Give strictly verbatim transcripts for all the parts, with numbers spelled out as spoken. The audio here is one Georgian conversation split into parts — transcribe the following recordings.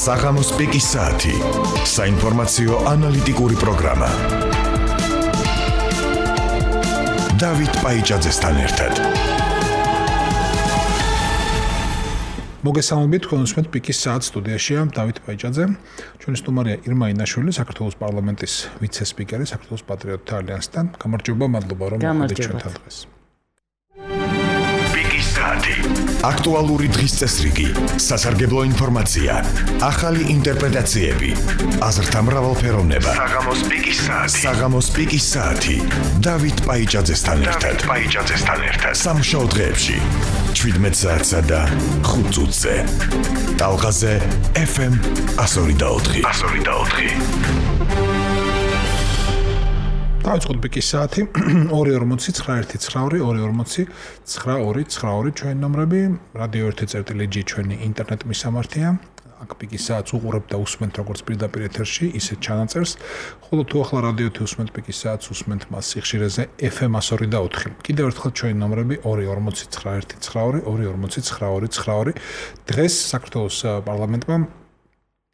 საღამოს პიკის საათი. საინფორმაციო ანალიტიკური პროგრამა. დავით პაიჭაძესთან ერთად. მოგესალმებით, თქვენ უსმენთ პიკის საათს, სტუდიაშია დავით პაიჭაძე. ჩვენი სტუმარია ირმა ინაშვილი, საქართველოს პარლამენტის ვიცე-სპიკერი, საქართველოს პატრიოტთა ალიანსთან. გამარჯობა, მადლობა რომ მოხვედრით ჩვენთან დღეს. პიკის საათი. აქტუალური დღის წესრიგი, სასარგებლო ინფორმაცია, ახალი ინტერპრეტაციები, აზრთა მრავალფეროვნება. საღამოს პიკის საათი. საღამოს პიკის საათი. დავით პაიჭაძესთან ერთად. პაიჭაძესთან ერთად. სამშაბათო დღეებში შვიდმეტ საათსა და ხუთ წუთზე. ტალღაზე ეფ ემ εκατო ორი და ოთხი. εκατო ორი და ოთხი. დავიწყოთ პიკის საათი. ორი ორმოცი ცხრა ერთი ცხრა ორი ორი ორმოცი ცხრა ორი ცხრა ორი ჩვენი ნომრები, რადიო ერთი წერტილი ჩვენი ინტერნეტ მისამართია. აქ პიკის საათს უყურებთ და უსმენთ როგორც პირდაპირ ეთერში, ისე ჩანაწერს. ხოლო თუ ახლა რადიო ერთი უსმენთ პიკის საათს, უსმენთ მას სიხშირეზე ეფ ემ εκατო ორი და ოთხი. კიდევ ერთხელ ჩვენი ნომრები ორი ორმოცი ცხრა ერთი ცხრა ორი ორი ორმოცი ცხრა ორი ცხრა ორი. დღეს საქართველოს პარლამენტმა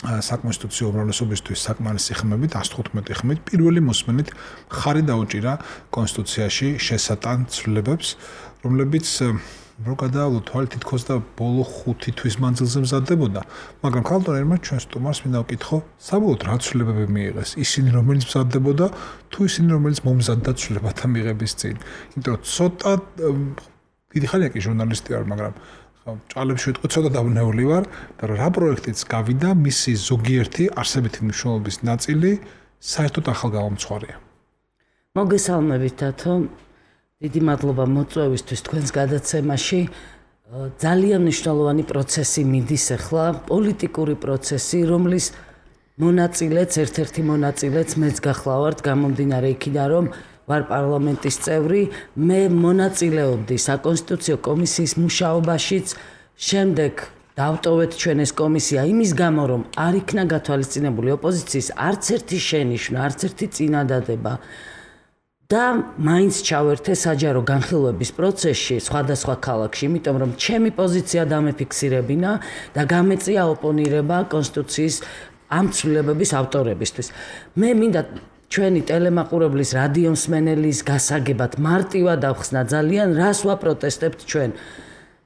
საკონსტიტუციო უმრავლესობისთვის საკმარისი ხმებით εκατო თხუთმეტი ხმით პირველი მოსმენით ხარი დაუჭირა კონსტიტუციაში შესატან ცვლილებებს, რომლებიც რო გადაავლოთ თვალ თითქოს და ბოლო ხუთი თვის მანძილზე მზადდებოდა, მაგრამ ქალტონერმა ჩვენ სტუმარს მინდა ვკითხო, საბოლოოდ რა ცვლილებები მიიღეს, ისინი რომელიც მზადდებოდა, თუ ისინი რომელიც მომზადდა ცვლილებათა მიღების წინ. იმიტომ რომ ცოტა დიდი ხანია კი ჟურნალისტი ვარ, მაგრამ ჭალებში ვიტყვი ცოტა დავნეული ვარ და რა პროექტიც გავიდა, მისი ზოგიერთი არსებითი მნიშვნელობის ნაწილი საერთოდ ახალგამომცხვარია. მოგესალმებით დათო. დიდი მადლობა მოწვევისთვის თქვენს გადაცემაში. ძალიან მნიშვნელოვანი პროცესი მიდის ახლა, პოლიტიკური პროცესი, რომლის მონაწილეც, ერთ-ერთი მონაწილეც მეც გახლავართ, გამომდინარე იქიდან, რომ ვარ პარლამენტის წევრი, მე მონაწილეობდი საკონსტიტუციო კომისიის მუშაობაშიც, შემდეგ დავტოვეთ ჩვენ ეს კომისია იმის გამო, რომ არ იქნა გათვალისწინებული ოპოზიციის არც ერთი შენიშვნა, არც ერთი წინადადება. და მაინც ჩავერთე საჯარო განხილვების პროცესში სხვადასხვა ქალაქში, იმიტომ რომ ჩემი პოზიცია დამეფიქსირებინა და გამეწია ოპონირება კონსტიტუციის ამ ცვლილებების ავტორებისთვის. მე მინდა ჩვენი ტელემაყურებლის, რადიო მსმენელის გასაგებად მარტივად ავხსნა ძალიან რას ვაპროტესტებთ ჩვენ.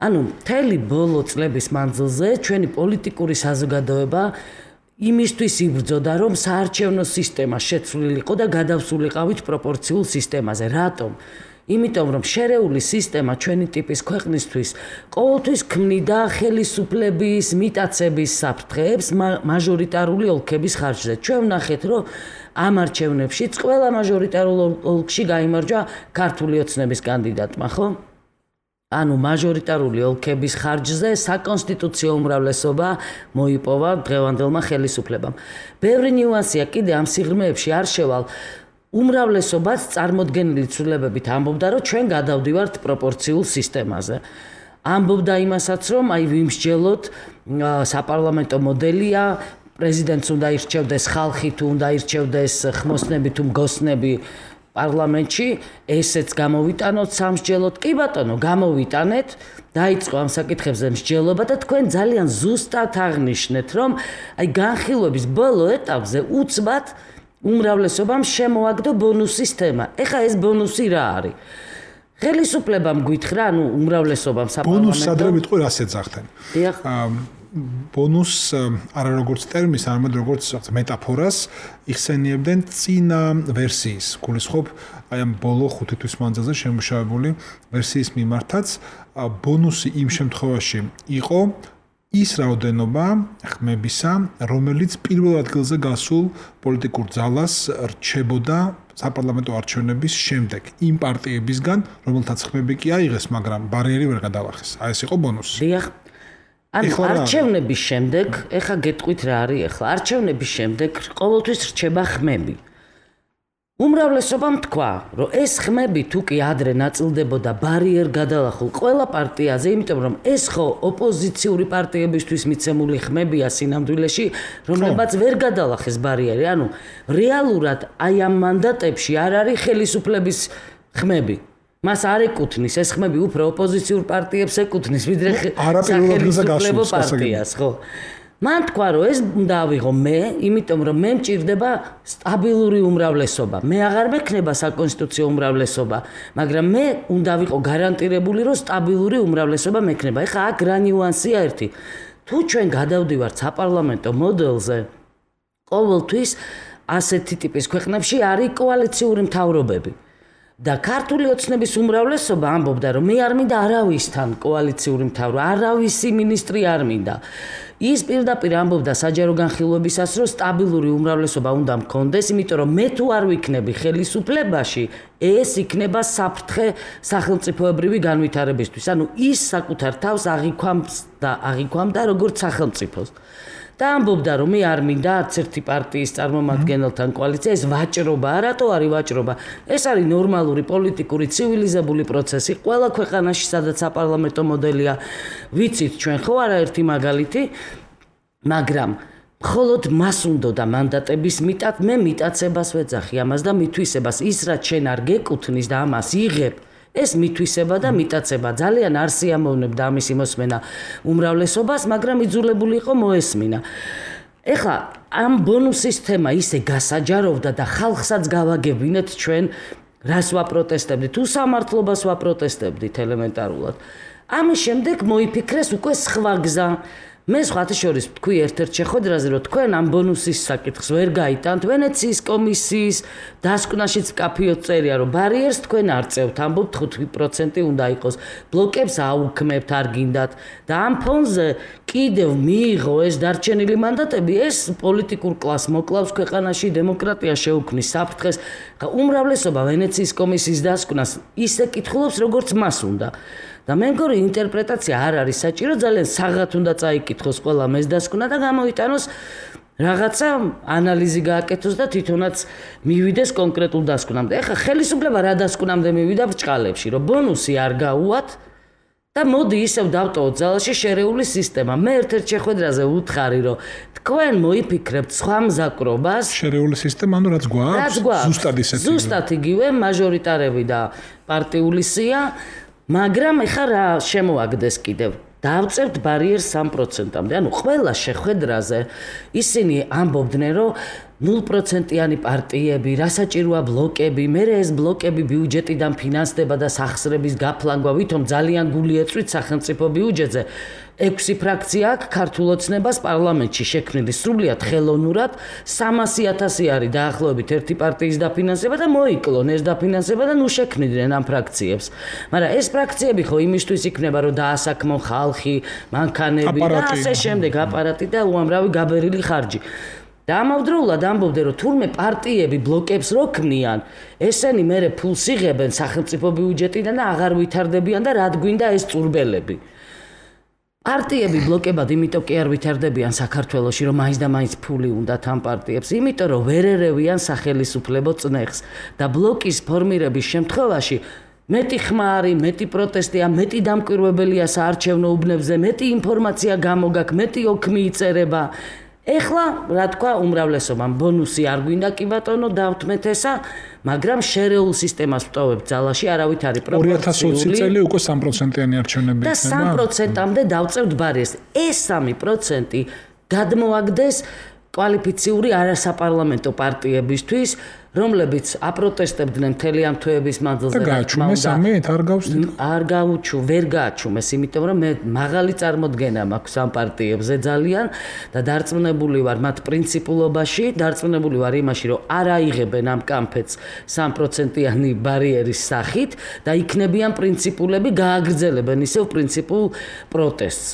ანუ მთელი ბოლო წლების მანძილზე ჩვენი პოლიტიკური საზოგადოება იმისთვის იბრძოდა, რომ საარჩევნო სისტემა შეცვლილიყო და გადავსულიყავით პროპორციულ სისტემაზე. რატომ? იმიტომ რომ შერეული სისტემა ჩვენი ტიპის ქვეყნისთვის ყოველთვის ქმნიდა ხელისუფლების, მიტაცების საფრთხეებს მაჟორიტარული ოლქების ხარჯზე. ჩვენ ვნახეთ, რომ ამ არჩევნებშიც ყველა მაჟორიტარულ ოლქში გაიმარჯვა ქართული ოცნების კანდიდატმა, ხო? ანუ მაჟორიტარული ოლქების ხარჯზე საკონსტიტუციო უმრავლესობა მოიპოვა დღევანდელმა ხელისუფლებამ. ბევრი ნიუანსია კიდე ამ სიღრმეებში არ შევალ. უმრავლესობაც წარმოდგენილი ცვლილებებით ამბობდა, რომ ჩვენ გადავდივართ პროპორციულ სისტემაზე. ამბობდა იმასაც, რომ აი ვიმსჯელოთ, საპარლამენტო მოდელია, პრეზიდენტს უნდა ირჩევდეს ხალხი, თუ უნდა ირჩევდეს ხმოსნები თუ მგოსნები პარლამენტში, ესეც გამოვიტანოთ სამსჯელოდ. კი ბატონო, გამოვიტანეთ, დაიწყო ამ საკითხებზე მსჯელობა და თქვენ ძალიან ზუსტად აღნიშნეთ, რომ აი განხილვების ბოლო ეტაპზე უცბად უმრავლესობამ შემოაგდო ბონუს სისტემა. ეხა ეს ბონუსი რა არის? ხელისუფლებამ გვითხრა, ანუ უმრავლესობამ საპარლამენტო. ბონუს ადრე ვიტყვი რას ეძახდნენ? დიახ. ბონუს არა როგორც ტერმინს, არამედ როგორც მეტაფორას იხსენიებდნენ წინა ვერსიის. გულისხმობ აი ამ ბოლო ხუთი თვის მანძილზე შემუშავებული ვერსიის მიმართაც ბონუსი იმ შემთხვევაში იყო ის რაოდენობა ხმებისა, რომელიც პირველ ადგილზე გასულ პოლიტიკურ ძალას რჩებოდა საპარლამენტო არჩევნების შემდეგ იმ პარტიებისგან, რომელთაც ხმები კი აიღეს, მაგრამ ბარიერი ვერ გადალახეს. აი ეს იყო ბონუსი. დიახ. ანუ არჩევნების შემდეგ, ეხა გეტყვით რა არის ეხლა, არჩევნების შემდეგ ყოველთვის რჩება ხმები. უმრავლესობამ თქვა, რომ ეს ხმები თუ კი ადრე ნაწილდებოდა ბარიერ გადალახულ ყველა პარტიაზე, იმიტომ რომ ეს ხო ოპოზიციური პარტიებისთვის მიცემული ხმებია სინამდვილეში, რომლებაც ვერ გადალახეს ბარიერი. ანუ რეალურად აი ამ მანდატებში არ არის ხელისუფლების ხმები. მას არ ეკუთვნის ეს ხმები უფრო ოპოზიციურ პარტიებს ეკუთვნის, ვიდრე სახელმწიფო პარტიას, ხო? მან თქვა რომ ეს უნდა ავიღო მე, იმიტომ რომ მე მჭირდება სტაბილური უმრავლესობა. მე აღარ მექნება საკონსტიტუციო უმრავლესობა, მაგრამ მე უნდა ვიყო გარანტირებული რომ სტაბილური უმრავლესობა მექნება. ეხლა აქ რა ნიუანსია ერთი. თუ ჩვენ გადავდივართ საპარლამენტო მოდელზე, ყოველთვის ასეთი ტიპის ქვეყნებში არის კოალიციური მთავრობები. და ქართული ოცნების უმრავლესობა ამბობდა რომ მე არ მინდა არავისთან კოალიციური მთავრობა, არავისი მინისტრი არ მინდა. ის პირდაპირ ამბობდა საჯარო განხილვებისას რომ სტაბილური უმრავლესობა უნდა მქონდეს, იმიტომ რომ მე თუ არ ვიქნები ხელისუფლებაში, ეს იქნება საფრთხე სახელმწიფოებრივი განვითარებისთვის. ანუ ის საკუთარ თავს აღიქვამს და აღიქვამდა როგორც სახელმწიფოს. და ამბობდა რომ მე არ მინდა არც ერთი პარტიის წარმომადგენელთან კოალიცია, ეს ვაჭრობა, რატო არის ვაჭრობა? ეს არის ნორმალური პოლიტიკური ცივილიზებული პროცესი ყველა ქვეყანაში, სადაც საპარლამენტო მოდელია. ვიცით ჩვენ ხო არაერთი მაგალითი, მაგრამ მხოლოდ მას უნდა მანდატების მიტად, მე მიტაცებას ვეძახი ამას და მithვისებას, ის რაც შენ არ გეკუთვნის და ამას იღებ, ეს მithვისება და მიტაცება ძალიან არ სიამოვნებდა ამის მოსმენა უმრავლესობას, მაგრამ იძულებული იყო მოესმინა. ეხლა ამ ბონუსის თემა ისე გასაჯაროვდა და ხალხსაც გავაგებინეთ ჩვენ რას ვაპროტესტებდით, თუ სამართლობას ვაპროტესტებდით ელემენტარულად. ამის შემდეგ მოიფიქრეს უკვე სხვა გზა. მე სხვათა შორის თქვი ერთ-ერთ შეხვედრაზე რომ თქვენ ამ ბონუსის საკითხს ვერ გაიტანთ, ვენეციის კომისიის დასკვნაშიც კაფეოთ წერია რომ ბარიერს თქვენ არ წევთ, ამბობთ ხუთი პროცენტი უნდა იყოს, ბლოკებს აუქმებთ, არ გინდათ და ამ ფონზე კიდევ მიიღო ეს დარჩენილი მანდატები, ეს პოლიტიკურ კლასს მოკლავს ქვეყანაში, დემოკრატია შეუქმნის საფრთხეს. უმრავლესობა ვენეციის კომისიის დასკვნას ისე კითხულობს როგორც მას უნდა. და მე მგონი ინტერპრეტაცია არ არის საჭირო, ძალიან საღად უნდა წაიკითხოს ყველა ეს დასკვნა და გამოიტანოს რაღაცა ანალიზი გააკეთოს და თვითონაც მივიდეს კონკრეტულ დასკვნამდე. ეხლა ხელისუფლება რა დასკვნამდე მივიდა ბრჭყალებში, რომ ბონუსი არ გაუვათ და მოდი ისევ დავტოვოთ ძალაში შერეული სისტემა. მე ერთ-ერთ შეხვედრაზე ვუთხარი, რომ თქვენ მოიფიქრებთ სხვა მზაკრობას. შერეული სისტემა, ანუ რაც გვაქვს, ზუსტად ისეთი. ზუსტად იგივე მაჟორიტარები და პარტიული სია. მაგრამ ეხა რა შემოაგდეს კიდევ? დავწევთ ბარიერს სამ პროცენტამდე. ანუ ყველა შეხვედრაზე ისინი ამბობდნენ, რომ ნულ პროცენტიანი პარტიები, რასაჭიროა ბლოკები, მე ეს ბლოკები ბიუჯეტიდან ფინანსდება და სახსრების გაფლანგვა, ვითომ ძალიან გული ეწვით სახელმწიფო ბიუჯეტზე. ექვსი ფრაქცია აქვს ქართულ ოცნებას პარლამენტში შექმნილი სრულიად ხელოვნურად, სამასი ათასი არის დაახლოებით ერთი პარტიის დაფინანსება და მოიკლონ ეს დაფინანსება და ნუ შექმნიდნენ ამ ფრაქციებს. მაგრამ ეს ფრაქციები ხო იმისთვის იქნება, რომ დაასაქმონ ხალხი, მანქანები და ასე შემდეგ, აპარატი და უამრავი გაბერილი ხარჯი. და ამავდროულად ამბობდნენ, რომ თურმე პარტიები ბლოკებს რო ქმნიან, ესენი მერე ფულს იღებენ სახელმწიფო ბიუჯეტიდან და აღარ ვითარდებიან და რად გვინდა ეს წურბელები. პარტიები ბლოკებად იმიტომ კი არ ვითარდებიან საქართველოში, რომ მაინც და მაინც ფული უნდათ ამ პარტიებს, იმიტომ რომ ვერ ერევიან სახელისუფლებო წნეხს და ბლოკის ფორმირების შემთხვევაში მეტი ხმა არის, მეტი პროტესტია, მეტი დამკვირვებელია საარჩევნო უბნებზე, მეტი ინფორმაცია გამოგაქვს, მეტი ოქმი იწერება. ეხლა რა თქვა უმრავლესობამ, ბონუსი არ გვინდა კი ბატონო, დავთმეთ ესა, მაგრამ შერეულ სისტემას ვტოვებთ ძალაში, არავით არის პროპორციული. ორი ათას ოცი წელი უკვე სამ პროცენტიანი არჩევნები იქნება. და სამ პროცენტამდე დავწევთ ბარიერს. ეს სამი პროცენტი გადმოაგდეს კვალიფიციური არასაპარლამენტო პარტიებისთვის, რომლებიც აპროტესტებდნენ მთელი ამ თვეების მანძილზე. და გააჩუმეს ამით, არ გავსდით. არ გაუჩუ, ვერ გააჩუმეს, იმიტომ რომ მე მაღალი წარმოდგენა მაქვს ამ პარტიებზე ძალიან და დარწმუნებული ვარ მათ პრინციპულობაში, დარწმუნებული ვარ იმაში, რომ არ აიღებენ ამ კამფეტს სამ პროცენტიანი ბარიერის სახით და იქნებიან პრინციპულები, გააგრძელებენ ისევ პრინციპულ პროტესტს.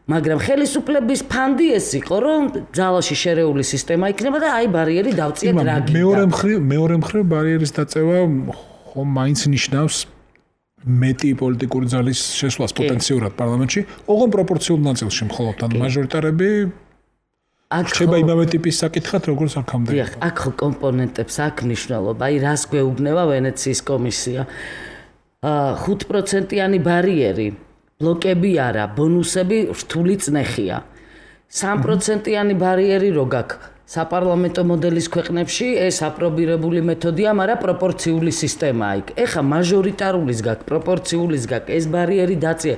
მაგრამ ხელისუფლების ფანდი ეს იყო, რომ ძალაში შერეული სისტემა იქნება და აი ბარიერი დავწიეთ რა გინდა. მეორე მხრივ, მეორე მხრივ ბარიერის დაწევა ხომ მაინც ნიშნავს მეტი პოლიტიკური ძალის შესვლას პოტენციურად პარლამენტში, ოღონდ პროპორციულ ნაწილში მხოლოდ, ან მაჟორიტარები რჩება იმავე ტიპის საკითხად, როგორც აქამდე. დიახ, აქ ხო კომპონენტებს აქვს მნიშვნელობა, აი რას გვეუბნება ვენეციის კომისია. ხუთი პროცენტიანი ბარიერი ბლოკები არა, ბონუსები რთული წნეხია. სამ პროცენტიანი ბარიერი რო გაქვს საპარლამენტო მოდელის ქვეყნებში, ეს აპრობირებული მეთოდია, მაგრამ პროპორციული სისტემაა იქ. ეხა მაჟორიტარულის გაქვს, პროპორციულის გაქვს, ეს ბარიერი დაწია.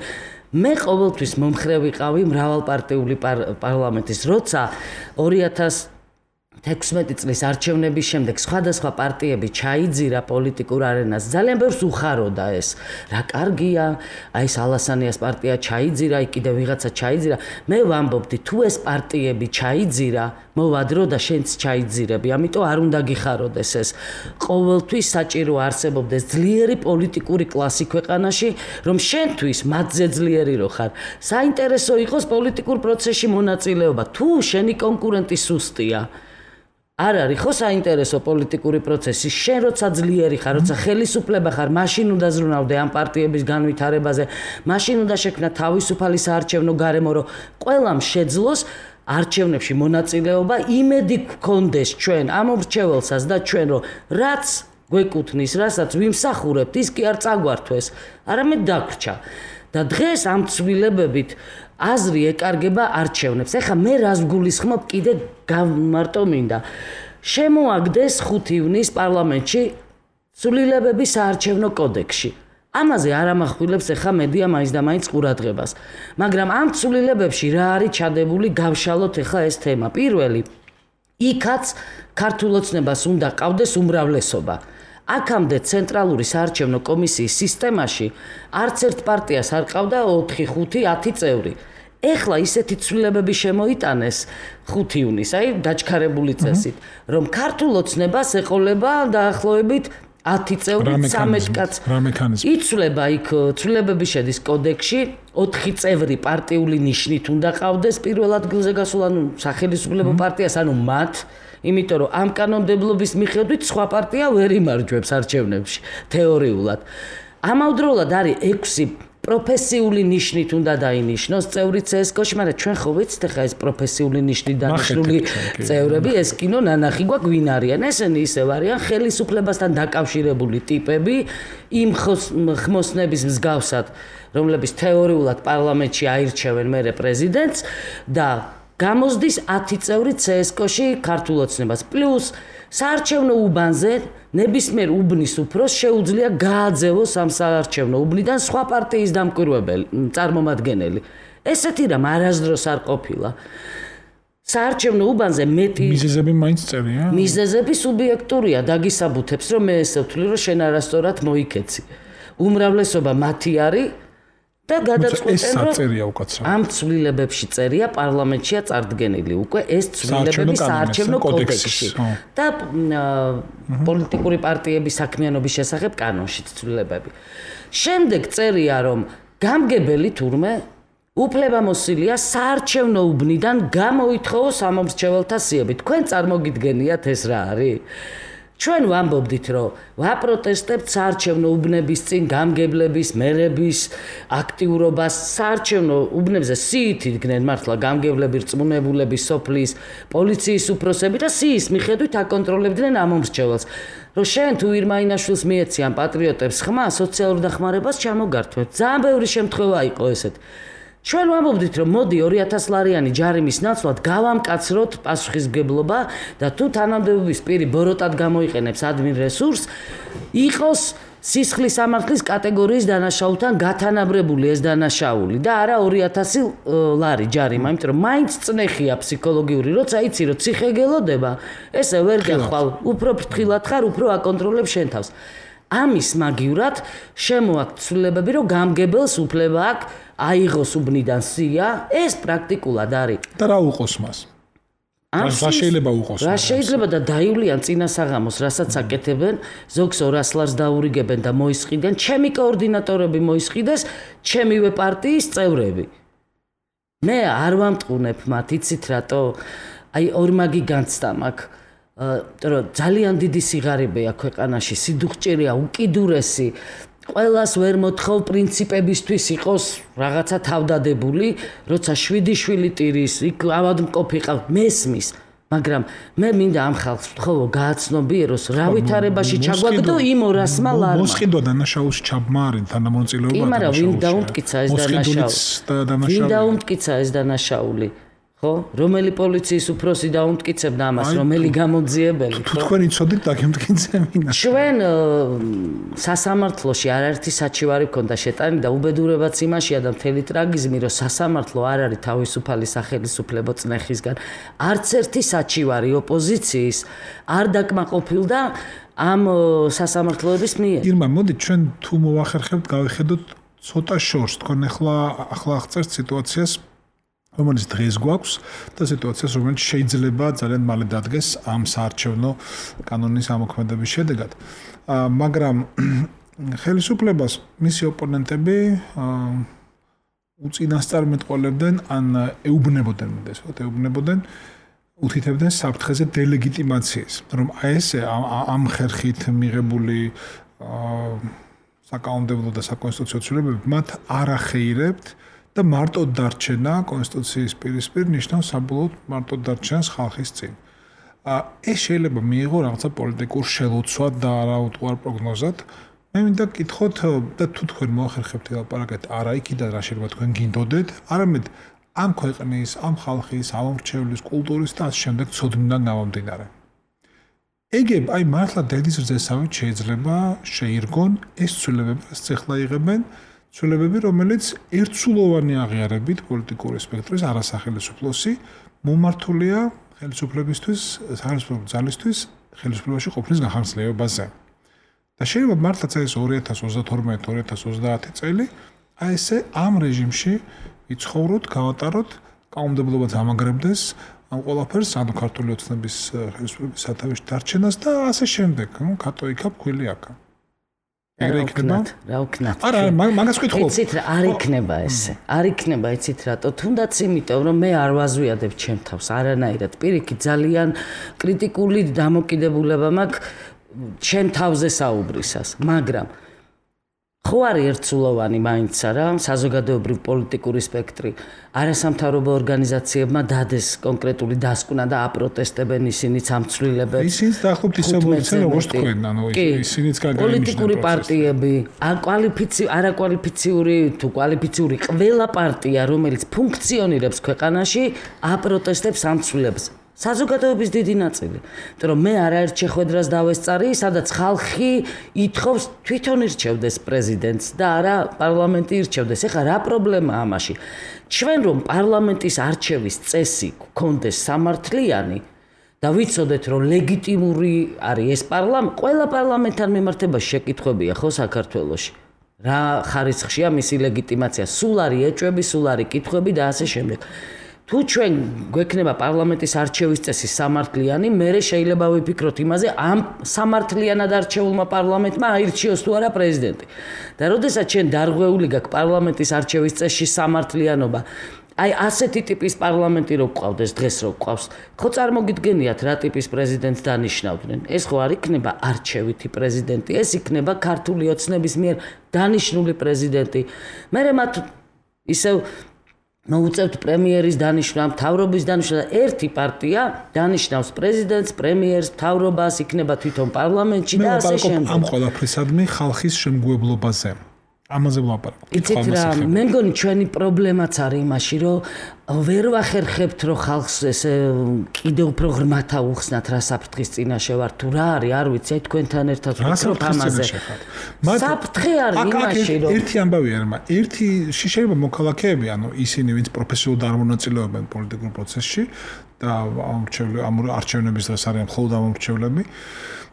მე ყოველთვის მომხრე ვიყავი მრავალპარტიული პარლამენტის, როცა ორი ათას თექვსმეტი წლის არჩევნების შემდეგ სხვადასხვა პარტიები ჩაიძირა პოლიტიკურ არენას. ძალიან ბევრს უხაროდა ეს. რა კარგია, აი ეს ალასანიას პარტია ჩაიძირა, აი კიდევ ვიღაცა ჩაიძირა. მე ვამბობდი, თუ ეს პარტიები ჩაიძირა, მოვადრო და შენც ჩაიძირები. ამიტომ არ უნდა გიხაროდეს ეს. ყოველთვის საჭირო არსებობდეს ძლიერი პოლიტიკური კლასი ქვეყანაში, რომ შენთვის მათზე ძლიერი რო ხარ. საინტერესო იყოს პოლიტიკურ პროცესში მონაწილეობა. თუ შენი კონკურენტი სუსტია, არ არის ხო საინტერესო პოლიტიკური პროცესი. შენ როცა ძლიერი ხარ, როცა ხელისუფლება ხარ, მაშინ უნდა ზრუნავდე ამ პარტიების განვითარებაზე, მაშინ უნდა შექმნა თავისუფალი საარჩევნო გარემო, რომ ყველამ შეძლოს არჩევნებში მონაწილეობა, იმედი გქონდეს ჩვენ ამ მრჩეველსაც და ჩვენ, რომ რაც გვეკუთვნის, რასაც ვიმსახურებთ, ის კი არ წაგვართვეს, არამედ დაგვრჩა. და დღეს ამ ცვლილებებით აზრი ეკარგება არჩევნებს. ეხლა მე რას გულისხმობ კიდე გამარტო მინდა. შემოაგდეს ხუთი ივნის პარლამენტში ცვლილებები საარჩევნო კოდექსში. ამაზე არ ამახვილებს ეხლა მედია მაინც და მაინც ყურადღებას. მაგრამ ამ ცვლილებებში რა არის ჩადებული, გავშალოთ ეხლა ეს თემა. პირველი, იქაც ქართულ ოცნებას უნდა ყავდეს უმრავლესობა. აქამდე ცენტრალური საარჩევნო კომისიის სისტემაში არც ერთ პარტიას არ ყავდა ოთხი, ხუთი, ათი წევრი. ეხლა ისეთი ცვლილებები შემოიტანეს ხუთი ივნის, აი დაჩქარებული წესით, რომ ქართულ ოცნებას ეყოლება დაახლოებით ათი წევრი, ცამეტ კაც. იცვლება იქ ცვლილებები შედის კოდექსში, ოთხი წევრი პარტიული ნიშნით უნდა ყავდეს პირველ ადგილზე გასულ, ანუ სახელისუფლებო პარტიას, ანუ მათ, იმიტომ რომ ამ კანონმდებლობის მიხედვით სხვა პარტია ვერ იმარჯვებს არჩევნებში თეორიულად. ამავდროულად არის ექვსი პროფესიული ნიშნით უნდა დაინიშნოს წევრი ცსკ-ში, მაგრამ ჩვენ ხო ვიცით ახლა ეს პროფესიული ნიშნით დანიშნული წევრები, ეს კინო ნანახი გვაქვს ვინ არიან. ესენი ისევ არიან ხელისუფლებასთან დაკავშირებული ტიპები, იმ ხმოსნების მსგავსად, რომლებიც თეორიულად პარლამენტში აირჩევენ მერე პრეზიდენტს და გამოსდის ათი წევრი ცსკ-ში ქართულ ოცნებას. პლუს საარჩევნო უბანზე ნებისმიერ უბნის უფროს შეუძლია გააძევოს ამ საარჩევნო უბნიდან სხვა პარტიის დამკვირვებელი, წარმომადგენელი. ესეთი რამ არასდროს არ ყოფილა. საარჩევნო უბანზე მეტი მიზეზები მაინც წერია? მიზეზები სუბიექტურია, დაგისაბუთებს, რომ მე ესე ვთვლი, რომ შენ არასწორად მოიქეცი. უმრავლესობა მათი არის და გადაწყვეტენ, რომ ამ ცვლილებებში წერია პარლამენტშია წარდგენილი უკვე ეს ცვლილებები საარჩევნო კოდექსში და პოლიტიკური პარტიების საქმიანობის შესახებ კანონში ცვლილებები. შემდეგ წერია, რომ გამგებელი თურმე უფლებამოსილია საარჩევნო უბნიდან გამოითხოვოს ამომრჩეველთა სიები. თქვენ წარმოგიდგენიათ ეს რა არის? ჩვენ ვამბობდით, რომ ვაპროტესტებთ საარჩევნო უბნების წინ გამგებლების, მერების აქტიურობას. საარჩევნო უბნებზე სიით იდგნენ მართლა გამგებლები, რწმუნებულები, სოფლის, პოლიციის უფროსები და სიის მიხედვით აკონტროლებდნენ ამომრჩეველს. რომ შენ თუ ირმაინაშვილს მიეციან პატრიოტებს ხმა, სოციალურ დახმარებას ჩამოგართვებ. ძალიან ბევრი შემთხვევა იყო ესეთ. ჩვენ ვამბობდით, რომ მოდი ორი ათას ლარიანი ჯარიმის ნაცვლად გავამკაცროთ პასუხისმგებლობა და თუ თანამდებობის პირი ბოროტად გამოიყენებს ადმინ რესურსს, იყოს სისხლის სამართლის კატეგორიის დანაშაულთან გათანაბრებული ეს დანაშაული და არა ორი ათასი ლარი ჯარიმა, იმიტომ რომ მაინც წნეხია ფსიქოლოგიური, როცა იცი რომ ციხე გელოდება, ესე ვერ გახვალ, უფრო ფრთხილად ხარ, უფრო აკონტროლებ შენ თავს. ამის მაგივრად შემოაქვთ ცვლილებები, რომ გამგებელს უფლება აქვს აიღოს უბნიდან სია, ეს პრაქტიკულად არის. და რა უყოს მას? რა შეიძლება უყოს? რა შეიძლება და დაივლიან წინა საღამოს, რასაც აკეთებენ, ზოგს ორას ლარს დაურიგებენ და მოისყიდენ, ჩემი კოორდინატორები მოისყიდეს, ჩემივე პარტიის წევრები. მე არ ვამტყუნებ მათ, იცით რატო? აი ორმაგი განცდა მაქვს. რომ ძალიან დიდი სიღარიბეა ქვეყანაში, სიდუხჭირეა, უკიდურესი. ყველას ვერ მოთხოვ პრინციპებისთვის იყოს რაღაცა თავდადებული, როცა შვიდი შვილი ტირის, იქ ავადმყოფი ყავს, მესმის. მაგრამ მე მინდა ამ ხალხს ვთხოვო, გააცნობიეროს, რა ვითარებაში ჩაგვაგდო იმ ორასმა ლარმა. მოსყიდვა დანაშაულში ჩაბმა არის თანამონაწილეობა. კი, მაგრამ ვინ დაუმტკიცა ეს დანაშაული? ვინ დაუმტკიცა ეს დანაშაული? ხო? რომელი პოლიციის უფროსი დაუმტკიცებდა ამას, რომელი გამოძიებელი, ხო? თქვენ იცოდით დაგემტკიცებინა. ჩვენ სასამართლოში არაერთი საჩივარი ქონდა შეტანილი და უბედურებაც იმაშია და მთელი ტრაგიზმი, რომ სასამართლო არ არის თავისუფალი სახელმწიფო წნეხისგან. არც ერთი საჩივარი ოპოზიციის არ დაკმაყოფილდა ამ სასამართლოების მიერ. ირმა, მოდით ჩვენ თუ მოვახერხებთ, გავიხედოთ ცოტა შორს, თქვენ ახლა ახლა აღწერთ სიტუაციას, რომელიც დღეს გვაქვს და სიტუაციას, რომელიც შეიძლება ძალიან მალე დადგეს ამ საარჩევნო კანონის ამოქმედების შედეგად. მაგრამ ხელისუფლებას მისი ოპონენტები უწინასწარმეტყველებდნენ ან ეუბნებოდნენ, მითხრათ, ეუბნებოდნენ უთითებდნენ საფრთხეზე დელეგიტიმაციას, რომ აი ესე ამ ხერხით მიღებული საკანონმდებლო და საკონსტიტუციო ცვლილებები მათ არ ახეირებთ და მარტო დარჩენა კონსტიტუციის პირისპირ ნიშნავს საბოლოოდ მარტო დარჩენას ხალხის წინ. ეს შეიძლება მიიღო რაღაცა პოლიტიკურ შელოცვად და არაუტყუარ პროგნოზად. მე მინდა გკითხოთ და თუ თქვენ მოახერხებთ ლაპარაკეთ არა იქიდან რა შეიძლება თქვენ გინდოდეთ, არამედ ამ ქვეყნის, ამ ხალხის, ამომრჩევლის, კულტურის და ასე შემდეგ ცოდნიდან გამომდინარე. ეგებ აი მართლა დედის რძესავით შეიძლება შეირგონ ეს ცვლილებები, რაც ახლა იღებენ, ცვლილებები, რომელიც ერთსულოვანი აღიარებით პოლიტიკური სპექტრის არასახელისუფლოსი მომართულია ხელისუფლებისთვის, სახელმწიფო ძალისთვის, ხელისუფლებაში ყოფნის განხორციელებაზე. და შეიძლება მართლაც ეს ორი ათას ოცდათორმეტი ორი ათას ოცდაათი წელი აი ესე ამ რეჟიმში იცხოვროთ, გავატაროთ, კანონმდებლობაც ამაგრებდეს ამ ყველაფერს, ანუ ქართული ოცნების ხელისუფლების სათავეში დარჩენას და ასე შემდეგ, ნუ კატო იქა ფქვილი აქა. რა ვქნათ, რა ვქნათ. არა, მაგას ვკითხულობ. იცით რა, არ იქნება ესე. არ იქნება, იცით რატო? თუნდაც იმიტომ, რომ მე არ ვაზვიადებ ჩემ თავს არანაირად. პირიქით, ძალიან კრიტიკული დამოკიდებულება მაქვს ჩემ თავზე საუბრისას, მაგრამ ხო არის ერთსულოვანი მაინც არა საზოგადოებრივ პოლიტიკური სპექტრი. არასამთავრობო ორგანიზაციებმა დადეს კონკრეტული დასკვნა და აპროტესტებენ ისინიც ამ ცვლილებებს. ისინიც დაახლოებით ისე მოიცენ როგორც თქვენ, ანუ ისინიც გაგაინიშნენ. პოლიტიკური პარტიები, აკვალიფიცი არაკვალიფიციური თუ კვალიფიციური ყველა პარტია, რომელიც ფუნქციონირებს ქვეყანაში, აპროტესტებს ამ ცვლილებებს. საზოგადოების დიდი ნაწილი. იმიტომ რომ მე არაერთ შეხვედრას დავესწარი, სადაც ხალხი ითხოვს თვითონ ირჩევდეს პრეზიდენტს და არა პარლამენტი ირჩევდეს. ეხლა რა პრობლემაა ამაში? ჩვენ რომ პარლამენტის არჩევის წესი გქონდეს სამართლიანი და ვიცოდეთ რომ ლეგიტიმური არის ეს პარლამენტი, ყველა პარლამენტთან მიმართებაში შეკითხვებია ხო საქართველოში. რა ხარისხშია მისი ლეგიტიმაცია? სულ არის ეჭვები, სულ არის კითხვები და ასე შემდეგ. თუ ჩვენ გვექნება პარლამენტის არჩევის წესი სამართლიანი, მერე შეიძლება ვიფიქროთ იმაზე, ამ სამართლიანად არჩეულმა პარლამენტმა აირჩიოს თუ არა პრეზიდენტი. და როდესაც ჩვენ დარღვეული გაქვს პარლამენტის არჩევის წესში სამართლიანობა, აი ასეთი ტიპის პარლამენტი რო გვყავდეს დღეს რო გვყავს, ხო წარმოგიდგენიათ რა ტიპის პრეზიდენტს დანიშნავდნენ? ეს ხო არ იქნება არჩევითი პრეზიდენტი, ეს იქნება ქართული ოცნების მიერ დანიშნული პრეზიდენტი. მერე მათ ისევ მოუწევთ პრემიერის დანიშნა, მთავრობის დანიშნა და ერთი პარტია დანიშნავს პრეზიდენტს, პრემიერს, მთავრობას, იქნება თვითონ პარლამენტში და ასე შემდეგ. ამ ყველაფრისადმი ხალხის შემგუებლობაზე. ამაზე ვლაპარაკობ. იცით რა, მე მგონი ჩვენი პრობლემაც არის იმაში, რომ ვერ ვახერხებთ, რომ ხალხს ესე კიდევ უფრო ღრმათ აუხსნათ რა საფრთხის წინაშე ვარ თუ რა არის, არ ვიცი, აი თქვენთან ერთად ვფიქრობ ამაზე. საფრთხე არის იმაში, რომ ერთი ამბავია, მაგრამ ერთი შეიძლება მოქალაქეები, ანუ ისინი, ვინც პროფესიულად არ მონაწილეობენ პოლიტიკურ პროცესში და ამ არჩევნების დღეს არიან მხოლოდ ამომრჩევლები.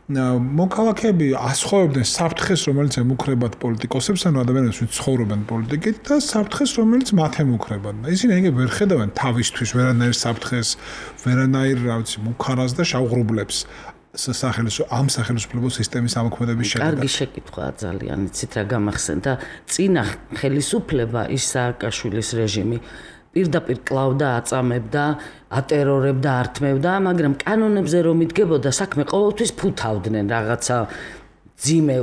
მოქალაქეები ასხოვებდნენ საფრთხეს, რომელიც ემუქრებათ პოლიტიკოსებს, ანუ ადამიანებს, ვინც ცხოვრობენ პოლიტიკით და საფრთხეს, რომელიც მათ ემუქრებათ. და ისინი ეგ ვერ ხედავენ თავისთვის ვერანაირ საფრთხეს, ვერანაირ, რა ვიცი, მუქარას და შავღრუბლებს სახელმწიფო ამ სახელმწიფო სისტემის ამოქმედების შედეგად. კარგი შეკითხვაა ძალიან, იცით რა გამახსენდა, წინა ხელისუფლება ის სააკაშვილის რეჟიმი პირდაპირ კლავდა, აწამებდა, ატერორებდა, ართმევდა, მაგრამ კანონებზე რომ იდგებოდა, საქმე ყოველთვის ფუთავდნენ რაღაცა ძიმე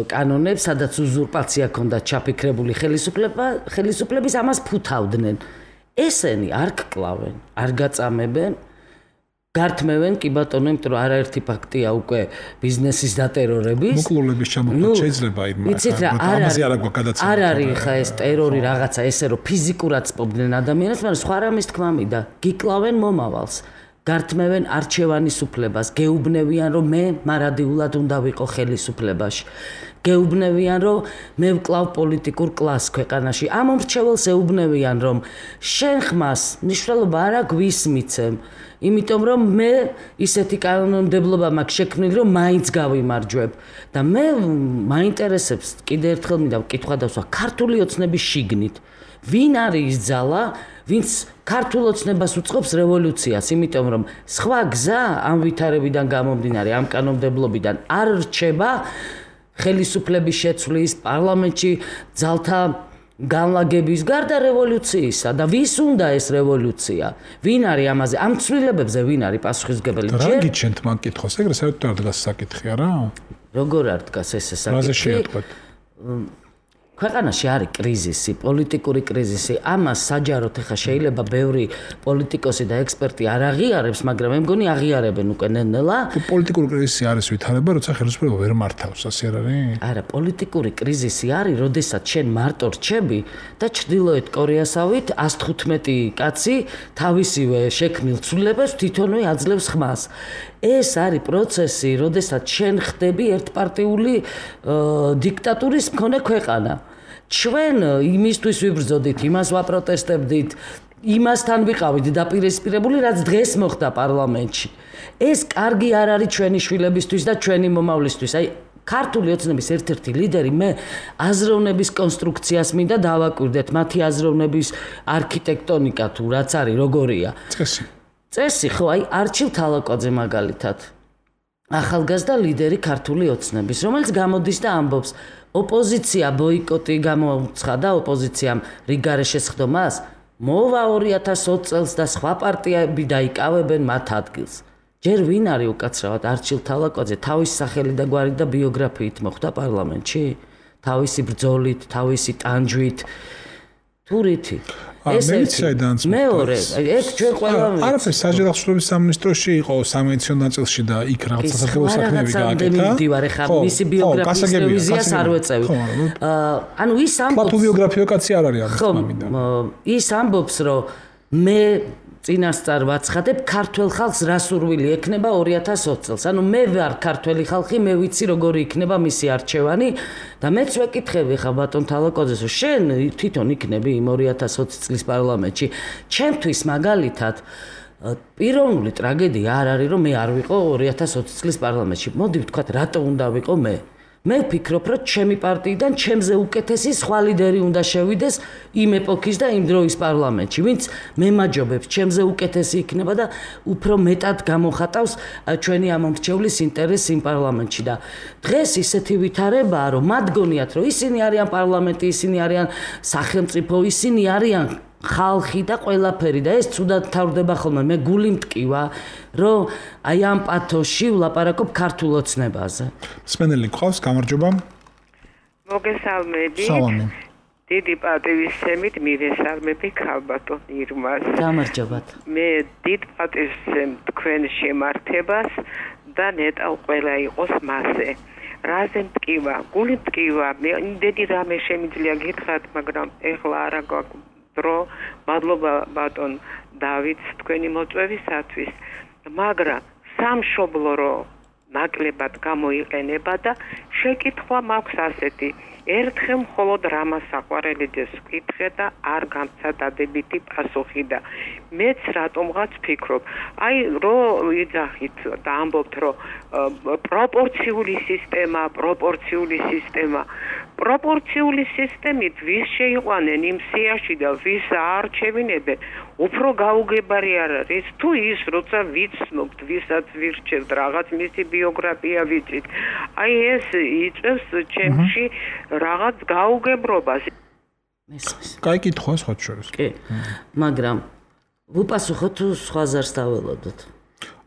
კანონებს, სადაც უზურპაცია ჰქონდა ჩაფიქრებული ხელისუფლება, ხელისუფლების ამას ფუთავდნენ. ესენი არ გკლავენ, არ გაწამებენ გართმევენ კი ბატონო, იმიტომ რომ არაერთი ფაქტია უკვე ბიზნესის დატერორების. მოკლულების ჩამოყალიბება შეიძლება იმ ამაზე არ აქვს გადაცემა. არ არის ხა ეს ტერორი რაღაცა ესე რომ ფიზიკურად სპობდნენ ადამიანებს, მაგრამ სხვა რამის თქმა მინდა. გიკლავენ მომავალს. გართმევენ არჩევანის უფლებას, გეუბნევიან რომ მე მარადიულად უნდა ვიყო ხელისუფლებაში. გეუბნევიან რომ მე ვკლავ პოლიტიკურ კლასს ქვეყანაში. ამ მომრჩეველს ეუბნევიან რომ შენ ხმას მნიშვნელობა არ აგვისმიცემ, იმიტომ რომ მე ისეთი კანონმდებლობა მაქვს შექმნილი რომ მაინც გავიმარჯვებ და მე მაინტერესებს კიდე ერთხელ მინდა ვკითხვა დავსვა ქართული ოცნების შიგნით. ვინ არის ის ძალა, ვინც ქართულ ოცნებას უწყობს რევოლუციას, იმიტომ რომ სხვა გზა ამ ვითარებიდან გამომდინარე, ამ კანონმდებლობიდან არ რჩება ხელისუფლების შეცვლის, პარლამენტში ძალთა განლაგების გარდა რევოლუციისა და ვის უნდა ეს რევოლუცია? ვინ არის ამაზე? ამ ცვლილებებზე ვინ არის პასუხისმგებელი? რა გიჩენთ მაგ კითხვას? ეგრე საერთოდ არ დგას საკითხი არა? როგორ არ დგას ეს საკითხი? რაზე შეატყვეთ? ქვეყანაში არის კრიზისი, პოლიტიკური კრიზისი. ამას საჯაროდ ახლა შეიძლება ბევრი პოლიტიკოსი და ექსპერტი არ აღიარებს, მაგრამ მე მგონი აღიარებენ უკვე ნელ-ნელა. პოლიტიკური კრიზისი არის ვითარება, როცა ხელისუფლება ვერ მართავს, ასე არ არის? არა, პოლიტიკური კრიზისი არის, როდესაც შენ მარტო რჩები და ჩრდილოეთ კორეასავით ას თხუთმეტი კაცი თავისივე შექმნილ ცვლილებას თვითონვე აძლევს ხმას. ეს არის პროცესი, როდესაც შენ ხდები ერთპარტიული დიქტატურის მქონე ქვეყანა. ჩვენ იმისთვის ვიბრძოდით, იმას ვაპროტესტებდით, იმასთან ვიყავით დაპირისპირებული, რაც დღეს მოხდა პარლამენტში. ეს კარგი არ არის ჩვენი შვილებისთვის და ჩვენი მომავლისთვის. აი ქართული ოცნების ერთ-ერთი ლიდერი მე აზროვნების კონსტრუქციას მინდა დავაკვირდეთ, მათი აზროვნების არქიტექტონიკა თუ რაც არის, როგორია. წესი. წესი ხო, აი არჩილ თალაკოძე მაგალითად. ახალგაზრდა ლიდერი ქართული ოცნების, რომელიც გამოდის და ამბობს, ოპოზიცია ბოიკოტი გამოუცხადა ოპოზიციამ რიგარე შესხდომას, მოვა ორი ათას ოცი წელს და სხვა პარტიები დაიკავებენ მათ ადგილს. ჯერ ვინ არის უკაცრავად არჩილ თალაკოძე თავის სახელი და გვარით და ბიოგრაფიით მოხვდა პარლამენტში? თავისი ბრძოლით, თავისი ტანჯვით, თურითი. ეს მეორე, ეს ჩვენ ყველა არაფერ საჯარო ხსნობის სამინისტროში იყო სამედიცინო ნაწილში და იქ რაღაც სასახელო საქმეები გააკეთა. ხო, მისი ბიოგრაფიის რევიზიას არ ვეწევი. ანუ ის ამბობს, თუ ბიოგრაფიო კაცი არ არის ამის მინდა. ის ამბობს, რომ მე წინასწარ ვაცხადებ ქართველ ხალხს რა სურვილი ექნება ორი ათას ოცი წელს. ანუ მე ვარ ქართველი ხალხი, მე ვიცი როგორი იქნება მისი არჩევანი და მეც ვეკითხები ხა ბატონ თალაკოძეს, შენ თვითონ იქნები იმ ორი ათას ოცი წლის პარლამენტში. ჩემთვის მაგალითად პიროვნული ტრაგედია არ არის, რომ მე არ ვიყო ორი ათას ოცი წლის პარლამენტში. მოდი ვთქვათ, რატო უნდა ვიყო მე? მე ვფიქრობ, რომ ჩემი პარტიიდან ჩემზე უკეთესი სხვა ლიდერი უნდა შევიდეს იმ ეპოქის და იმ დროის პარლამენტში, ვინც მემაჯობებს, ჩემზე უკეთესი იქნება და უფრო მეტად გამოხატავს ჩვენი ამომრჩევლის ინტერესს იმ პარლამენტში და დღეს ისეთი ვითარებაა, რომ მათ გონიათ, რომ ისინი არიან პარლამენტი, ისინი არიან სახელმწიფო, ისინი არიან ხალხი და ყველაფერი და ეს ცუდად თავდება ხოლმე. მე გული მტკივა, რომ აი ამ პათოში ვლაპარაკობ ქართულ ოცნებაზე. მსმენელი გყავს, გამარჯობა. მოგესალმებით. სალამი. დიდი პატივისცემით მივესალმები ქალბატონ ირმას. გამარჯობათ. მე დიდ პატივისცემ თქვენ შემართებას და ნეტავ ყველა იყოს მასე. რაზე მტკივა? გული მტკივა. მე იმდენი რამე შემიძლია გითხრათ, მაგრამ ეხლა არა გვაქვს დრო. მადლობა ბატონ დავითს თქვენი მოწვევისათვის, მაგრამ სამშობლო რო ნაკლებად გამოიყენება და შეკითხვა მაქვს ასეთი, ერთხელ მხოლოდ რამას საყვარელიძეს ვკითხე და არ გამცა დადებითი პასუხი და მეც რატომღაც ვფიქრობ, აი რო იძახით და ამბობთ, რომ პროპორციული სისტემა, პროპორციული სისტემა პროპორციული სისტემით ვის შეიყვანენ იმ სიაში და ვის აარჩევინებენ, უფრო გაუგებარი არ არის თუ ის, როცა ვიცნობთ, ვისაც ვირჩევთ, რაღაც მისი ბიოგრაფია ვიცით. აი ეს იწევს ჩემში რაღაც გაუგებრობას. კაი კითხვა სხვათა შორის. კი. მაგრამ ვუპასუხოთ თუ სხვა ზარს დაველოდოთ.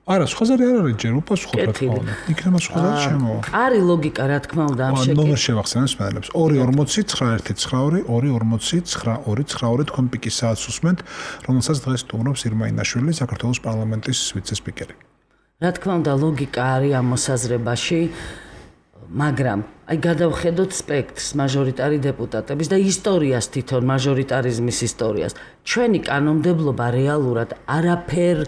არა, სხვა ზარი არ არის ჯერ უპასუხოთ რა. იქნება სხვა ზარი შემოვა. არის ლოგიკა რა თქმა უნდა ამ შეკითხვას. ნომერ შევახსენებ სპეციალებს. ორი ორმოცი ცხრა ერთი ცხრა ორი ორი ორმოცი ცხრა ორი ცხრა ორი თქვენ პიკის საათს უსმენთ, რომელსაც დღეს სტუმრობს ირმა ინაშვილი, საქართველოს პარლამენტის ვიცე-სპიკერი. რა თქმა უნდა ლოგიკა არის ამ მოსაზრებაში, მაგრამ აი გადავხედოთ სპექტრს მაჟორიტარი დეპუტატების და ისტორიას თვითონ მაჟორიტარიზმის ისტორიას. ჩვენი კანონმდებლობა რეალურად არაფერ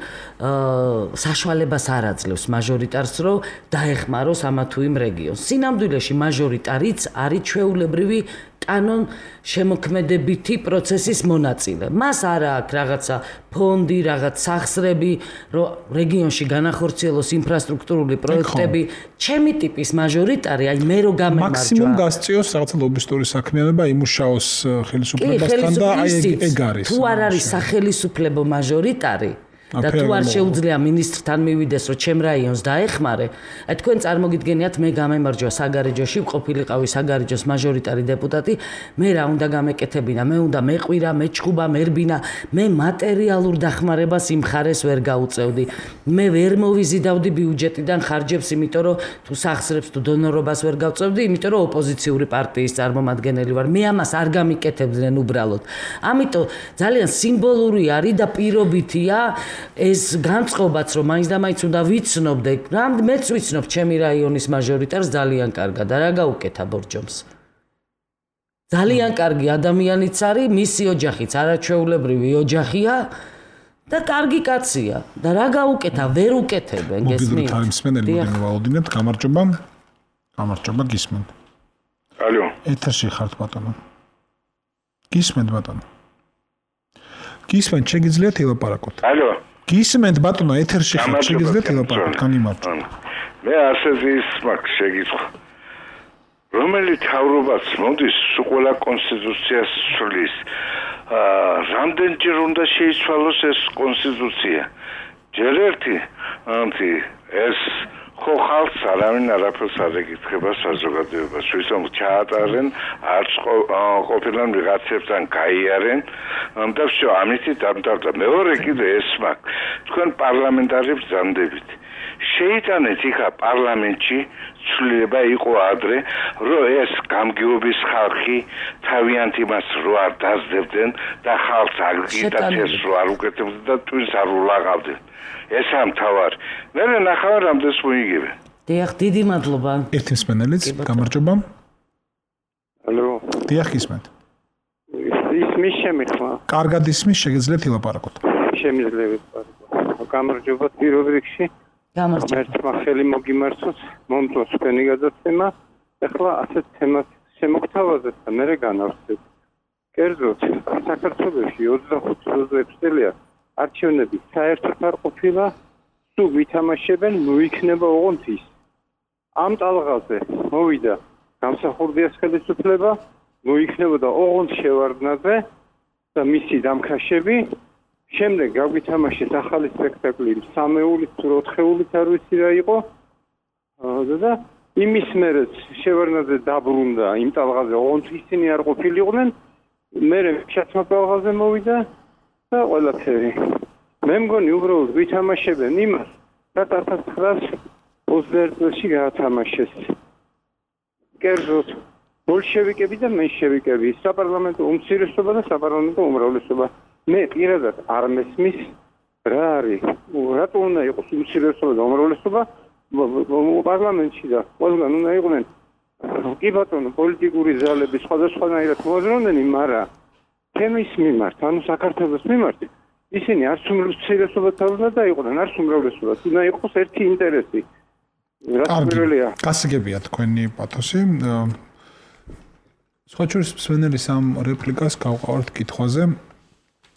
საშუალებას არ აძლევს მაჟორიტარს, რომ დაეხმაროს ამა თუ იმ რეგიონს. სინამდვილეში მაჟორიტარიც არის ჩვეულებრივი კანონ შემოქმედებითი პროცესის მონაწილე. მას არ აქვს რაღაცა ფონდი, რაღაც სახსრები, რომ რეგიონში განახორციელოს ინფრასტრუქტურული პროექტები. ჩემი ტიპის მაჟორიტარი, აი მე რო გამემარჯვა. მაქსიმუმ გასწიოს რაღაცა ლობისტური საქმიანობა, იმუშაოს ხელისუფლებასთან და აი ეგ არის. თუ არ არის სახელისუფლებო მაჟორიტარი და თუ არ შეუძლია მინისტრთან მივიდეს, რომ ჩემ რაიონს დაეხმარე, აი თქვენ წარმოგიდგენიათ მე გამემარჯვა საგარეჯოში, ყოფილიყავი საგარეჯოს მაჟორიტარი დეპუტატი, მე რა უნდა გამეკეთებინა, მე უნდა მეყვირა, მეჩხუბა, მერბინა, მე მატერიალურ დახმარებას იმ ხარეს ვერ გაუწევდი. მე ვერ მოვიზიდავდი ბიუჯეტიდან ხარჯებს, იმიტომ რომ თუ სახსრებს თუ დონორობას ვერ გავწევდი, იმიტომ რომ ოპოზიციური პარტიის წარმომადგენელი ვარ. მე ამას არ გამიკეთებდნენ უბრალოდ. ამიტომ ძალიან სიმბოლური არის და პირობითია ეს განწყობაც, რომ მაინც და მაინც უნდა ვიცნობდე, რა მეც ვიცნობ ჩემი რაიონის მაჟორიტარს ძალიან კარგად და რა გაუკეთა ბორჯომს. ძალიან კარგი ადამიანიც არის, მისი ოჯახიც არაჩვეულებრივი ოჯახია და კარგი კაცია და რა გაუკეთა, ვერ უკეთებენ, გესმით? მოგიდროთ არის მსმენელი, მოდი მოვაუდინებთ, გამარჯობა. გამარჯობა, გისმენთ. ალო. ეთერში ხართ ბატონო. გისმენთ ბატონო. გისმენთ, შეგიძლიათ ელაპარაკოთ. ალო. გისმენთ ბატონო, ეთერში ხართ, შეგიძლიათ ელაპარაკოთ, განიმარტო. მე ასეთი ის მაქვს შეგიძლია. რომელი თავრობაც მოდის ყველა კონსტიტუციას ცვლის. აა რამდენჯერ უნდა შეიცვალოს ეს კონსტიტუცია? ჯერ ერთი, ანთი ეს ხო ხალხს არავინ არაფერს არ ეკითხება საზოგადოებას, ვისამ ჩაატარენ, არც ყოფილან ვიღაცებთან გაიარენ, და всё, ამით დამთავრდა. მეორე კიდე ეს მაქვს. თქვენ პარლამენტარებს ძამდებით. შეიტანეთ იქა პარლამენტში ცვლილება იყო ადრე, რომ ეს გამგეობის ხალხი თავიანთ იმას რო არ დაძლებდნენ და ხალხს აგიტაციას რო არ უკეთებდნენ და ტვინს არ ულაღავდნენ. ეს ამ თავარი. მე ნახავ რამდენს მოიგებენ. დიახ, დიდი მადლობა. ერთი მსმენელიც, გამარჯობა. ალო. დიახ, ისმენთ. ისმის შემიხვა. კარგად ისმის, შეგიძლიათ ილაპარაკოთ. შემიძლია ვიყო. გამარჯობა პირველ რიგში. გამარჯობა. ერთმა ხელი მოგიმართოთ, მომწონს თქვენი გადაცემა. ეხლა ასეთ თემას შემოგთავაზეთ და მე განავსეთ. კერძოდ, საქართველოში ოცდახუთი ოცდაექვსი წელია არჩევნები საერთოდ არ ყოფილა, სულ ვითამაშებენ, მოიქნება ოღონდ ის. ამ ტალღაზე მოვიდა გამსახურდიას ხელისუფლება, მოიქნებოდა ოღონდ შევარდნაძე და მისი დამქაშები. შემდეგ გავვითამაშეთ ახალი სპექტაკლი სამეულით თუ ოთხეულით არ ვიცი რა იყო. და იმის მერე შევარდნაძე დაბრუნდა იმ ტალღაზე, ოღონდ ისინი არ ყოფილიყვნენ. მე ჩათმა ტალღაზე მოვიდა და ყველაფერი. მე მგონი უბრალოდ ვითამაშებენ იმას, რაც ათას ცხრაას ოცდაერთი წელში გაათამაშეს. კერძოდ, ბოლშევიკები და მენშევიკები, საპარლამენტო უმცირესობა და საპარლამენტო უმრავლესობა. მე პირადად არ მესმის რა არის, რატო უნდა იყოს უმცირესობა და უმრავლესობა პარლამენტში და ყველგან უნდა იყვნენ კი ბატონო პოლიტიკური ძალები სხვადასხვანაირად მოაზროვნენი, მაგრამ თემის მიმართ, ანუ საქართველოს მიმართ, ისინი არც უმცირესობა თავზე დაიყვნენ, არც უმრავლესობა. უნდა იყოს ერთი ინტერესი. რაც პირველია. გასაგებია თქვენი პათოსი. სხვა შორის მსმენელის ამ რეპლიკას გავყავართ კითხვაზე.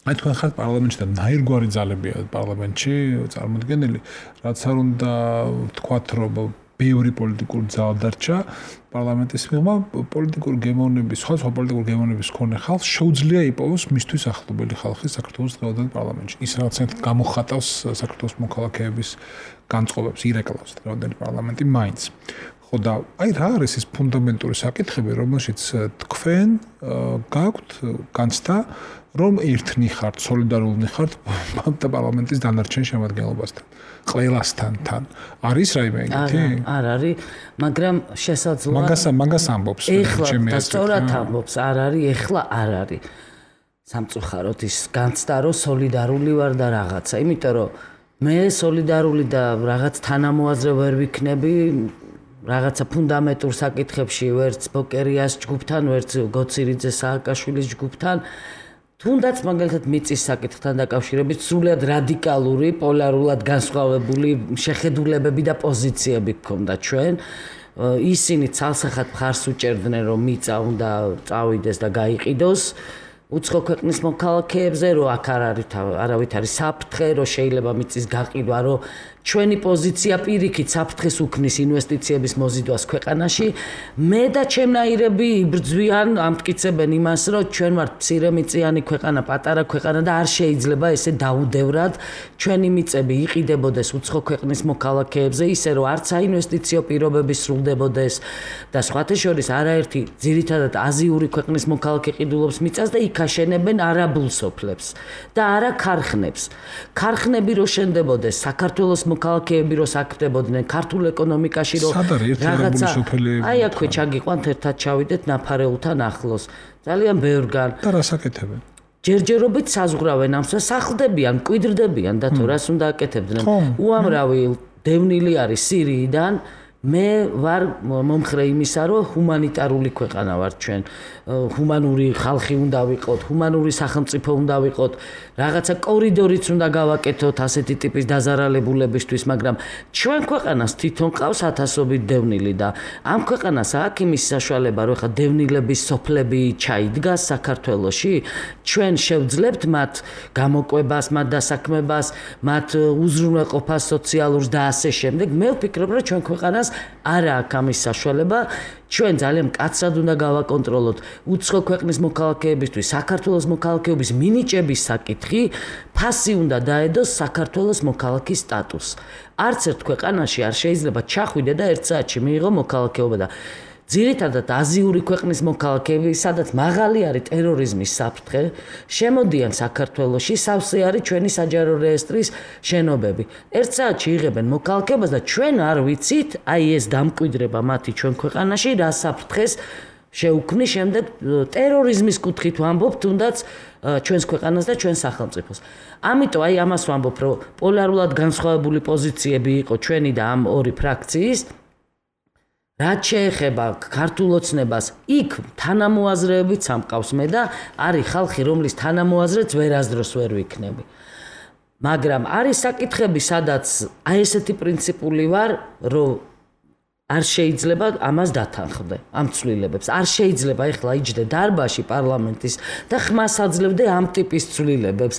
აი თქვენ ხართ პარლამენტში და ნაირგვარი ძალებია პარლამენტში წარმოდგენილი, რაც არ უნდა თქვათ, რომ ბევრი პოლიტიკური ძალა დარჩა პარლამენტის მიღმა, პოლიტიკური გემოვნების, სხვა სხვა პოლიტიკური გემოვნების მქონე ხალხს შეუძლია იპოვოს მისთვის ახლობელი ხალხი საქართველოს დღევანდელ პარლამენტში. ის რაღაცნაირად გამოხატავს საქართველოს მოქალაქეების განწყობებს, ირეკლავს დღევანდელი პარლამენტი მაინც. ხო და აი რა არის ეს ფუნდამენტური საკითხები, რომელშიც თქვენ გაქვთ განცდა, რომ ერთნი ხართ, სოლიდარულნი ხართ პარლამენტის დანარჩენ შემადგენლობასთან, ყველასთან თან. არის რაიმე ეგეთი? არ არის, მაგრამ შესაძლოა მაგას მაგას ამბობს ჩემი აზრით. სწორად ამბობს, არ არის, ეხლა არ არის. სამწუხაროდ ის განცდა, რომ სოლიდარული ვარ და რაღაცა, იმიტომ რომ მე სოლიდარული და რაღაც თანამოაზრე ვერ ვიქნები რაღაცა ფუნდამენტურ საკითხებში, ვერც ბოკერიას ჯგუფთან, ვერც გოცირიძე სააკაშვილის ჯგუფთან, თუნდაც მაგალითად მიწის საკითხთან დაკავშირებით სრულიად რადიკალური, პოლარულად განსხვავებული შეხედულებები და პოზიციები გქონდა ჩვენ. ისინი ცალსახად მხარს უჭერდნენ, რომ მიწა უნდა წავიდეს და გაიყიდოს. უცხო ქვეყნის მოქალაქეებზე, რომ აქ არ არის არავით არის საფრთხე, რომ შეიძლება მიწის გაყიდვა, რომ ჩვენი პოზიცია პირიქით საფრთხეს უქმნის ინვესტიციების მოზიდვას ქვეყანაში. მე და ჩემნაირები იბრძვიან, ამტკიცებენ იმას, რომ ჩვენ ვართ მცირემიწიანი ქვეყანა, პატარა ქვეყანა და არ შეიძლება ესე დაუდევრად ჩვენი მიწები იყიდებოდეს უცხო ქვეყნის მოქალაქეებზე, ისე რომ არც საინვესტიციო პირობები სრულდებოდეს და სხვათა შორის არაერთი ძირითადად აზიური ქვეყნის მოქალაქე ყიდულობს მიწას და იქ აშენებენ არაბულ სოფლებს და არა ქარხნებს. ქარხნები რო შენდებოდეს, საქართველოს მოქალაქეები რო საქმდებოდნენ ქართულ ეკონომიკაში რო რაღაცა აი აქვე ჩაგიყვანთ ერთად ჩავიდეთ ნაფარეულთან ახლოს. ძალიან ბევრგან და რა საკეთებენ? ჯერჯერობით საზღვრავენ ამს და სახლდებიან, მკვიდრდებიან და თუ რას უნდა აკეთებდნენ. უამრავი დევნილი არის სირიიდან. მე ვარ მომხრე იმისა, რომ ჰუმანიტარული ქვეყანა ვარ ჩვენ. ჰუმანური ხალხი უნდა ვიყოთ, ჰუმანური სახელმწიფო უნდა ვიყოთ. რაღაცა კორიდორიც უნდა გავაკეთოთ ასეთი ტიპის დაზარალებულებისთვის, მაგრამ ჩვენ ქვეყანას თვითონ ყავს ათასობით დევნილი და ამ ქვეყანას აქვს იმის საშუალება, რომ ხა დევნილების სოფლები ჩაიდგას საქართველოში, ჩვენ შევძლებთ მათ გამოკვებას, მათ დასაქმებას, მათ უზრუნველყოფას სოციალურს და ასე შემდეგ. მე ვფიქრობ, რომ ჩვენ ქვეყანას არა აქვს ამის საშუალება. ჩვენ ძალიან მკაცრად უნდა გავაკონტროლოთ უცხო ქვეყნის მოქალაქეებისთვის საქართველოს მოქალაქეობის მინიჭების საკითხი, ფასი უნდა დაედოს საქართველოს მოქალაქის სტატუსს. არც ერთ ქვეყანაში არ შეიძლება ჩახვიდე და ერთ საათში მიიღო მოქალაქეობა და ძირითადად აზიური ქვეყნის მოქალაქეები, სადაც მაღალი არის ტერორიზმის საფრთხე, შემოდიან საქართველოში, სავსე არის ჩვენი საჯარო რეესტრის შენობები. ერთ საათში იღებენ მოქალაქეობას და ჩვენ არ ვიცით, აი ეს დამკვიდრება მათი ჩვენ ქვეყანაში რა საფრთხეს შეუქმნის შემდეგ ტერორიზმის კუთხით ვამბობ, თუნდაც ჩვენს ქვეყანას და ჩვენს სახელმწიფოს. ამიტომ აი ამას ვამბობ, რომ პოლარულად განსხვავებული პოზიციები იყო ჩვენი და ამ ორი ფრაქციის. რაც შეეხება ქართულ ოცნებას, იქ თანამოაზრეებიც ამყავს მე და არის ხალხი, რომლის თანამოაზრეც ვერასდროს ვერ ვიქნები. მაგრამ არის საკითხები, სადაც აი ესეთი პრინციპული ვარ, რომ არ შეიძლება ამას დათანხმდე, ამ ცვლილებებს. არ შეიძლება ეხლა იჯდე დარბაზში პარლამენტის და ხმას აძლევდე ამ ტიპის ცვლილებებს.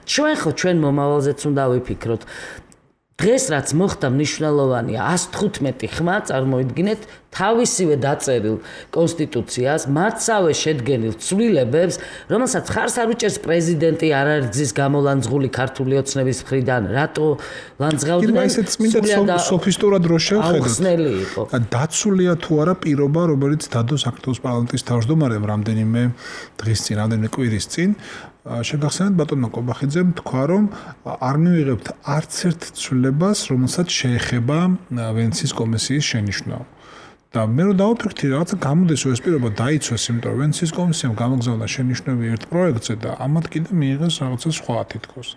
ჩვენ ხო ჩვენ მომავალზეც უნდა ვიფიქროთ. დღეს რაც მოხდა მნიშვნელოვანია ას თხუთმეტი ხმა, წარმოიდგინეთ, თავისივე დაწერილ კონსტიტუციას, მათსავე შედგენილ ცვლილებებს, რომელსაც ხარს არ უჭერს პრეზიდენტი არ არის გზის გამოლანძღული ქართული ოცნების მხრიდან, რატო ლანძღავდნენ? ისეთ წმინდა სოფისტურად რო შევხედოთ. დაცულია თუ არა პირობა, რომელიც დადო საქართველოს პარლამენტის თავმჯდომარემ რამდენიმე დღის წინ, რამდენიმე კვირის წინ. შეგახსენეთ ბატონო კობახიძემ თქვა, რომ არ მივიღებთ არც ერთ ცვლილებას, რომელსაც შეეხება ვენეციის კომისიის შენიშვნა. და მე რო დავფიქრდი, რაღაცა გამოდის ეს პირობა დაიცვეს, იმიტომ რომ ვენეციის კომისიამ გამოგზავნა შენიშვნები ერთ პროექტზე და ამათ კიდე მიიღეს რაღაცა სხვა თითქოს.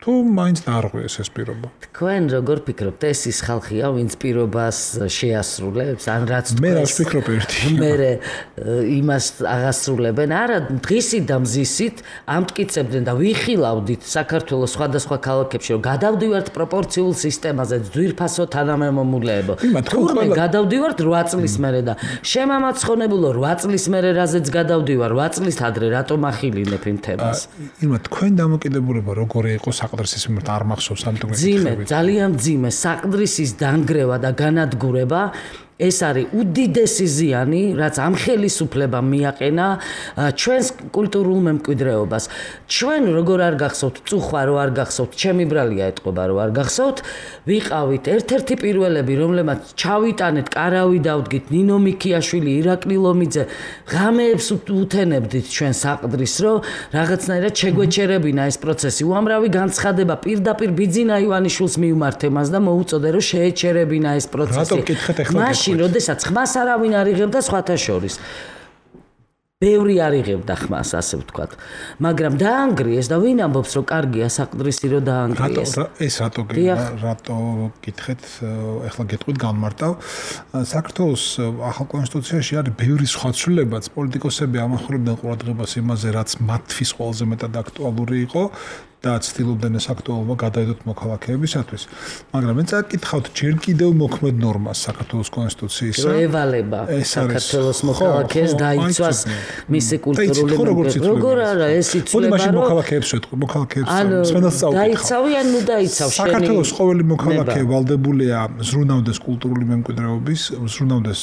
თუ მაინც დაარღვიეს ეს პირობა. თქვენ როგორ ფიქრობთ, ეს ის ხალხია, ვინც პირობას შეასრულებს, ან რაც თქვენ მე რა ვფიქრობ ერთი. მე იმას აღასრულებენ, არა, დღისით და მზისით ამტკიცებდნენ და ვიხილავდით საქართველოს სხვადასხვა ქალაქებში, რომ გადავდივართ პროპორციულ სისტემაზე, ძვირფასო თანამემამულეებო. თურმე გადავდივართ რვა წლის მერე და შემამაცხონებულო რვა წლის მერე რაზეც გადავდივარ, რვა წლის ადრე რატომ ახილინებ იმ თემას? ირმა, თქვენ დამოკიდებულება როგორი იყო საყდრისის მიმართ არ მახსოვს ამ თემაზე. ძიმე, ძალიან ძიმე, საყდრისის დანგრევა და განადგურება ეს არის უდიდესი ზიანი, რაც ამ ხელისუფლებამ მიაყენა ჩვენს კულტურულ მემკვიდრეობას. ჩვენ როგორ არ გახსოვთ, წუხვა რო არ გახსოვთ, ჩემი ბრალია ეტყობა რო არ გახსოვთ, ვიყავით ერთ-ერთი პირველები, რომლებმაც ჩავიტანეთ, კარავი დავდგით, ნინო მიქიაშვილი, ირაკლი ლომიძე, ღამეებს უთენებდით ჩვენ საყდრის, რომ რაღაცნაირად შეგვეჩერებინა ეს პროცესი. უამრავი განცხადება პირდაპირ ბიძინა ივანიშვილს მიუმართე მას და მოუწოდე, რომ შეეჩერებინა ეს პროცესი. მაშინ, როდესაც ხმას არავინ არ იღებდა სხვათა შორის. ბევრი არ იღებდა ხმას, ასე ვთქვათ. მაგრამ დაანგრიეს და ვინ ამბობს, რომ კარგია საყდრისი რომ დაანგრიეს? ეს რატო რატო გითხეთ, ეხლა გეტყვით განმარტავ. საქართველოს ახალ კონსტიტუციაში არის ბევრი სხვა ცვლილებაც, პოლიტიკოსები ამახვილებდნენ ყურადღებას იმაზე, რაც მათთვის ყველაზე მეტად აქტუალური იყო. და ცდილობდნენ ეს აქტუალობა გადაედოთ მოქალაქეებისათვის. მაგრამ მე წაკითხავთ ჯერ კიდევ მოქმედ ნორმას საქართველოს კონსტიტუციისა. ევალება საქართველოს მოქალაქეს დაიცვას მისი კულტურული მემკვიდრეობა. როგორ არა ეს იცვლება რომ მაშინ მოქალაქეებს ვეთქვი, მოქალაქეებს სვენას წავკითხავ. დაიცავი ან ნუ დაიცავ შენი. საქართველოს ყოველი მოქალაქე ვალდებულია ზრუნავდეს კულტურული მემკვიდრეობის, ზრუნავდეს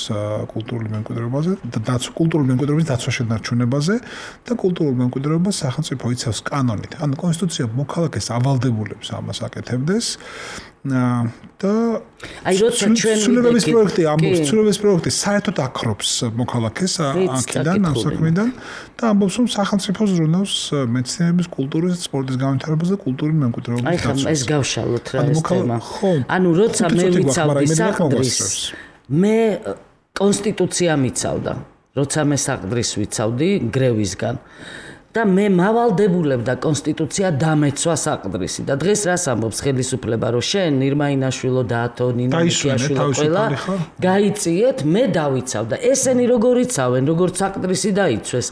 კულტურული მემკვიდრეობაზე და დაცვა კულტურული მემკვიდრეობის დაცვა შენარჩუნებაზე და კულტურულ მემკვიდრეობას სახელმწიფო იცავს კანონით. ან კონსტიტუცია მოქალაქეს ავალდებულებს ამას აკეთებდეს და აი როცა ჩვენ ცვლილებების პროექტი ამბობს ცვლილებების პროექტი საერთოდ აქრობს მოქალაქეს აქედან ამ საქმიდან და ამბობს რომ სახელმწიფო ზრუნავს მეცნიერების კულტურის სპორტის განვითარებას და კულტურული მემკვიდრეობის დაცვას. აი ხომ ეს გავშალოთ რა ეს თემა. ანუ როცა მე ვიცავდი საყდრის მე კონსტიტუცია მიცავდა. როცა მე საყდრის ვიცავდი გრევისგან და მე მავალდებულებდა კონსტიტუცია დამეცვა საყდრისი და დღეს რას ამბობს ხელისუფლება რომ შენ ნირმაინაშვილო და ათონინო მიქიაშვილო ყველა გაიწიეთ მე დავიცავ და ესენი როგორ იცავენ როგორც საყდრისი დაიცვეს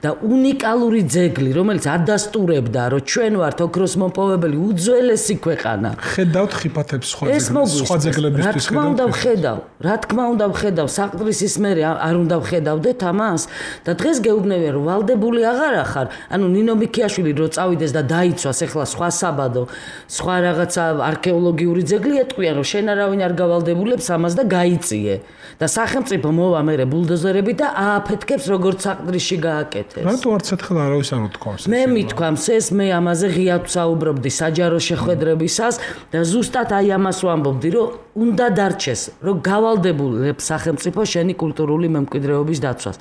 და უნიკალური ძეგლი რომელიც ადასტურებდა რომ ჩვენ ვართ ოქროს მოპოვებელი უძველესი ქვეყანა ხედავთ ხიფათებს სხვა ძეგლებისთვის ხედავთ რა თქმა უნდა ვხედავ რა თქმა უნდა ვხედავ საყდრისის მე არ უნდა ვხედავდეთ ამას და დღეს გეუბნებიან რომ ვალდებული აღარ ახარ ანუ ნინო მიქიაშვილი რო წავიდეს და დაიცვას ახლა სხვა საბადო, სხვა რაღაცა არქეოლოგიური ძეგლი ეტყვიან რომ შენ არავინ არ გავალდებულებს ამას და გაიწიე. და სახელმწიფო მოვა მერე ბულდოზერები და ააფეთქებს როგორც საყდრისში გააკეთეს. რატო არც ერთხელ არავის არ უთქვამს? მე მithქვამს ეს მე ამაზე ღიად ვსაუბრობდი საჯარო შეხვედრებისას და ზუსტად აი ამას ვამბობდი რომ უნდა დარჩეს რომ გავალდებულებს სახელმწიფო შენი კულტურული მემკვიდრეობის დაცვას.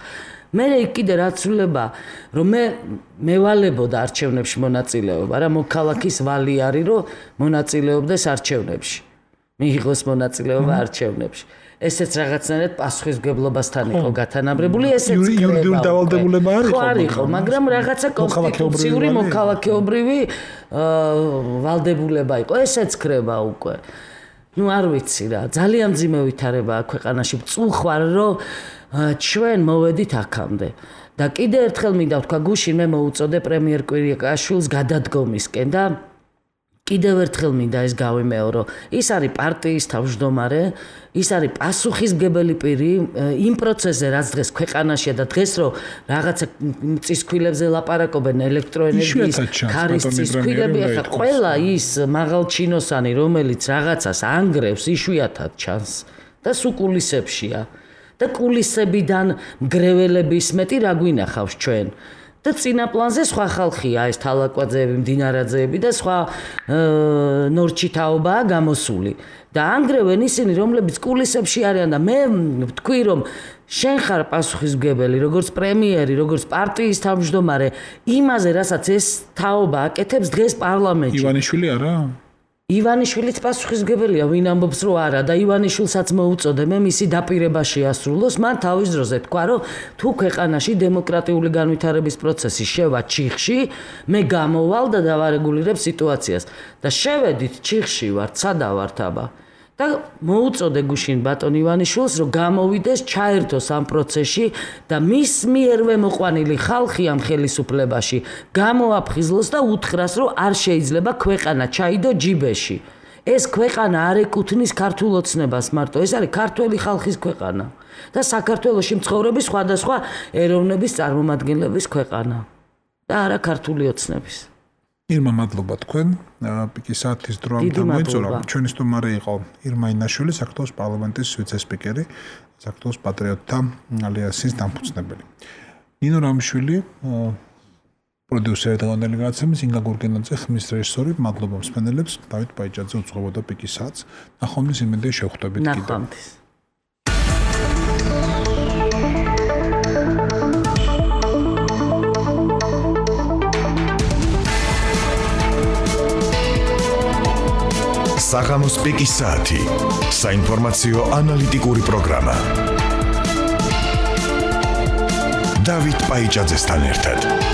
მე კიდე რა ცვლილება რომ მე მევალებოდა არჩევნებში მონაწილეობა რა მოქალაქის ვალი არის რომ მონაწილეობდეს არჩევნებში მიიღოს მონაწილეობა არჩევნებში ესეც რაღაცნაირად პასუხისმგებლობასთან იყო გათანაბრებული ესეც იურიდიული დავალდებულება არ იყო არ იყო მაგრამ რაღაცა კონსტიტუციური მოქალაქეობრივი ვალდებულება იყო ესეც ქრება უკვე ну არ ვიცი რა ძალიან ძიმე ვითარებაა ქვეყანაში წუხვარ რომ ჩვენ მოვედით აქამდე და კიდე ერთხელ მინდა ვთქვა გუშინ მე მოუწოდე პრემიერ კვირიკაშვილს გადადგომისკენ და კიდევ ერთხელ მინდა ეს გავიმეორო ის არის პარტიის თავმჯდომარე ის არის პასუხისმგებელი პირი იმ პროცესზე რაც დღეს ქვეყანაშია და დღეს რომ რაღაცა წისქვილებზე ლაპარაკობენ ელექტროენერგიის ქარის წისქვილები ახლა ყველა ის მაღალჩინოსანი რომელიც რაღაცას ანგრევს იშვიათად ჩანს და სუკულისებშია და კულისებიდან მგრეველების მეტი რა გვინახავს ჩვენ და წინა პლანზე სხვა ხალხია ეს თალაკვაძეები, მდინარაძეები და სხვა ნორჩითაობაა გამოსული და ანგრევენ ისინი რომლებიც კულისებში არიან და მე ვთქვი რომ შენ ხარ პასუხისმგებელი როგორც პრემიერი, როგორც პარტიის თავმჯდომარე იმაზე რასაც ეს თაობა აკეთებს დღეს პარლამენტში ივანიშვილი არა ივანიშვილიც პასუხისმგებელია, ვინ ამბობს რომ არა და ივანიშვილსაც მოუწოდე მე მისი დაპირებაში ასრულოს, მან თავის დროზე თქვა რომ თუ ქვეყანაში დემოკრატიული განვითარების პროცესი შევა ჩიხში, მე გამოვალ და დავარეგულირებ სიტუაციას და შევედით ჩიხში ვართ, სადა ვართ აბა და მოუწოდე გუშინ ბატონ ივანიშვილს რომ გამოვიდეს ჩაერთოს ამ პროცესში და მის მიერვე მოყვანილი ხალხი ამ ხელისუფლებაში გამოაფხიზლოს და უთხრას რომ არ შეიძლება ქვეყანა ჩაიდო ჯიბეში ეს ქვეყანა არ ეკუთვნის ქართულ ოცნებას მარტო ეს არის ქართველი ხალხის ქვეყანა და საქართველოში მცხოვრები სხვადასხვა ეროვნების წარმომადგენლების ქვეყანა და არა ქართული ოცნების ირმა მადლობა თქვენ პიკის საათის დრო ამ გამოიწურა ჩვენი სტუმარი იყო ირმა ინაშვილი საქართველოს პარლამენტის ვიცე-სპიკერი საქართველოს პატრიოტთა ალიანსის დამფუძნებელი. ნინო რამიშვილი პროდიუსერი დღევანდელი გადაცემის, ინგა გურგენაძე ხმის რეჟისორი, მადლობა მსმენელებს, დავით ბაიჭაძე უძღვებოდა პიკის საათს. ნახვამდის იმედია შევხვდებით კიდევ. ნახვამდის. საღამოს პიკის საათი. საინფორმაციო ანალიტიკური პროგრამა. დავით ბაიჭაძესთან ერთად.